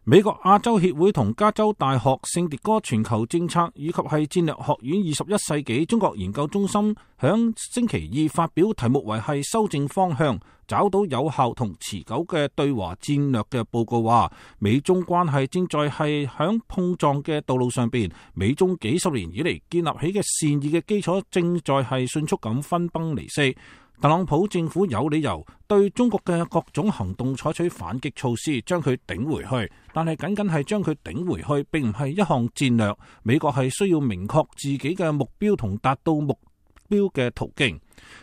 美國亞洲協會同加州大學聖迭戈全球政策以及係戰略學院21世紀中國研究中心響星期二發表題目為係修正方向，找到有效同持久嘅對華戰略嘅報告話，美中關係正在係響碰撞嘅道路上邊，美中幾十年以嚟建立起嘅善意嘅基礎正在係迅速咁分崩離析。特朗普政府有理由對中國嘅各種行動採取反擊措施，將佢頂回去，但係僅僅係將佢頂回去，並唔係一項戰略。美國係需要明確自己嘅目標同達到目標嘅途徑。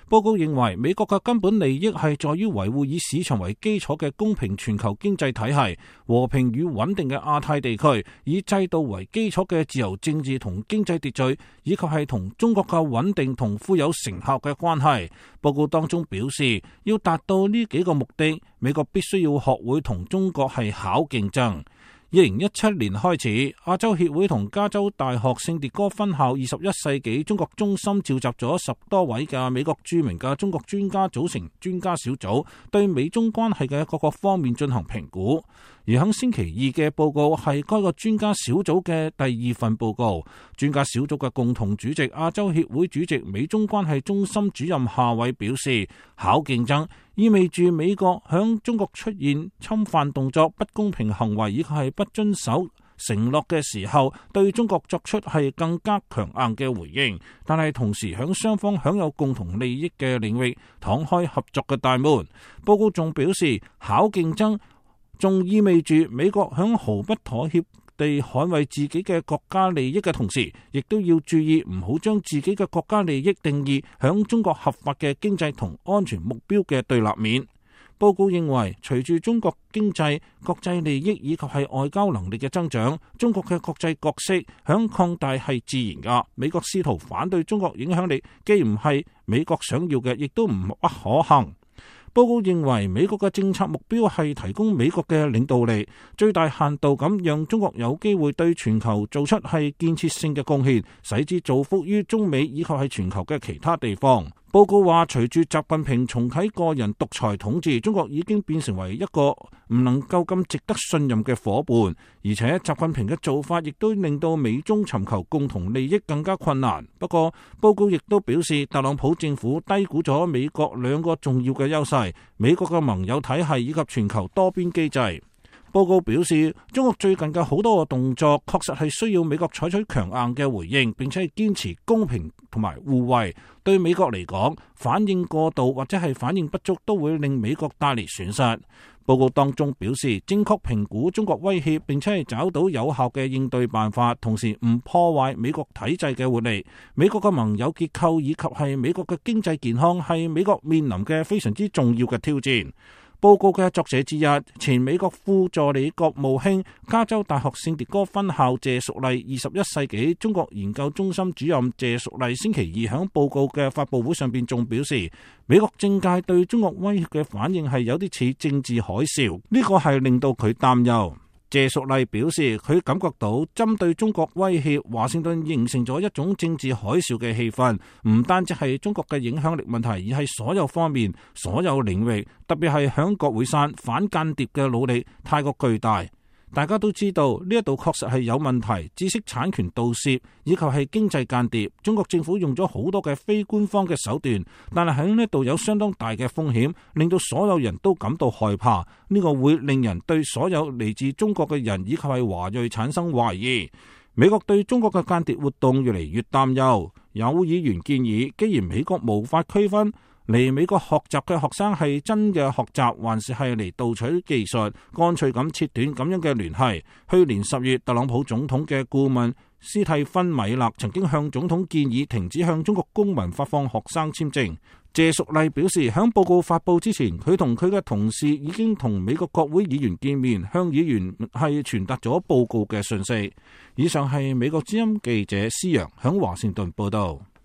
報告認為，美國嘅根本利益係在於維護以市場為基礎嘅公平全球經濟體系、和平與穩定嘅亞太地區，以制度為基礎嘅自由政治同經濟秩序，以及係同中國嘅穩定同富有成效嘅關係。報告當中表示，要達到呢幾個目的，美國必須要學會同中國係巧競爭。2017年開始，亞洲協會同加州大學聖迭戈分校21世紀中國中心召集咗10多位嘅美國著名嘅中國專家組成專家小組，對美中關係嘅各個方面進行評估。而喺星期二嘅報告係該個專家小組嘅第2份報告。專家小組嘅共同主席亞洲協會主席美中關係中心主任夏偉表示，巧競爭意味住美國響中國出現侵犯動作、不公平行為以及係不遵守承諾嘅時候，對中國作出係更加強硬嘅回應，但係同時響雙方享有共同利益嘅領域敞開合作嘅大門。報告仲表示，巧競爭仲意味住美國響毫不妥協地捍衛自己嘅國家利益嘅同時，亦都要注意唔好將自己嘅國家利益定義響中國合法嘅經濟同安全目標嘅對立面。報告認為，隨住中國經濟、國際利益以及係外交能力嘅增長，中國嘅國際角色響擴大係自然噶。美國試圖反對中國影響力，既唔係美國想要嘅，亦都唔不可行。報告認為，美國嘅政策目標係提供美國嘅領導力，最大限度咁讓中國有機會對全球做出係建設性嘅貢獻，使之造福於中美以及係全球嘅其他地方。報告話，隨住習近平重啟個人獨裁統治，中國已經變成為一個唔能夠咁值得信任嘅夥伴，而且習近平嘅做法亦都令到美中尋求共同利益更加困難。不過，報告亦都表示，特朗普政府低估咗美國2個重要嘅優勢：美國嘅盟友體系以及全球多邊機制。報告表示，中國最近嘅好多個動作確實係需要美國採取強硬嘅回應，並且係堅持公平同埋互惠。對美國嚟講，反應過度或者係反應不足都會令美國帶嚟損失。報告當中表示，正確評估中國威脅，並且係找到有效嘅應對辦法，同時唔破壞美國體制嘅活力。美國嘅盟友結構以及係美國嘅經濟健康係美國面臨嘅非常之重要嘅挑戰。報告嘅作者之一，前美國副助理國務卿、加州大學聖迭戈分校謝淑麗21世紀中國研究中心主任謝淑麗星期二響報告嘅發佈會上邊仲表示，美國政界對中國威脅嘅反應係有啲似政治海嘯，呢個係令到佢擔憂。謝淑麗表示，佢感覺到針對中國威脅，華盛頓形成咗一種政治海嘯嘅氣氛，唔單止係中國嘅影響力問題，而係所有方面、所有領域，特別係響國會山反間諜嘅努力太過巨大。大家都知道呢一度確實係有問題，知識產權盜竊以及係經濟間諜，中國政府用咗好多嘅非官方嘅手段，但係喺呢度有相當大嘅風險，令到所有人都感到害怕。呢個會令人對所有嚟自中國嘅人以及係華裔產生懷疑。美國對中國嘅間諜活動越嚟越擔憂，有議員建議，既然美國無法區分嚟美國學習嘅學生係真嘅學習，還是係嚟盜取技術，乾脆咁切斷咁樣嘅聯繫。去年10月，特朗普總統嘅顧問斯蒂芬米勒曾經向總統建議停止向中國公民發放學生簽證。謝淑麗表示，響報告發佈之前，佢同佢嘅同事已經同美國國會議員見面，向議員係傳達咗報告嘅訊息。以上係美國之音記者施陽響華盛頓報道。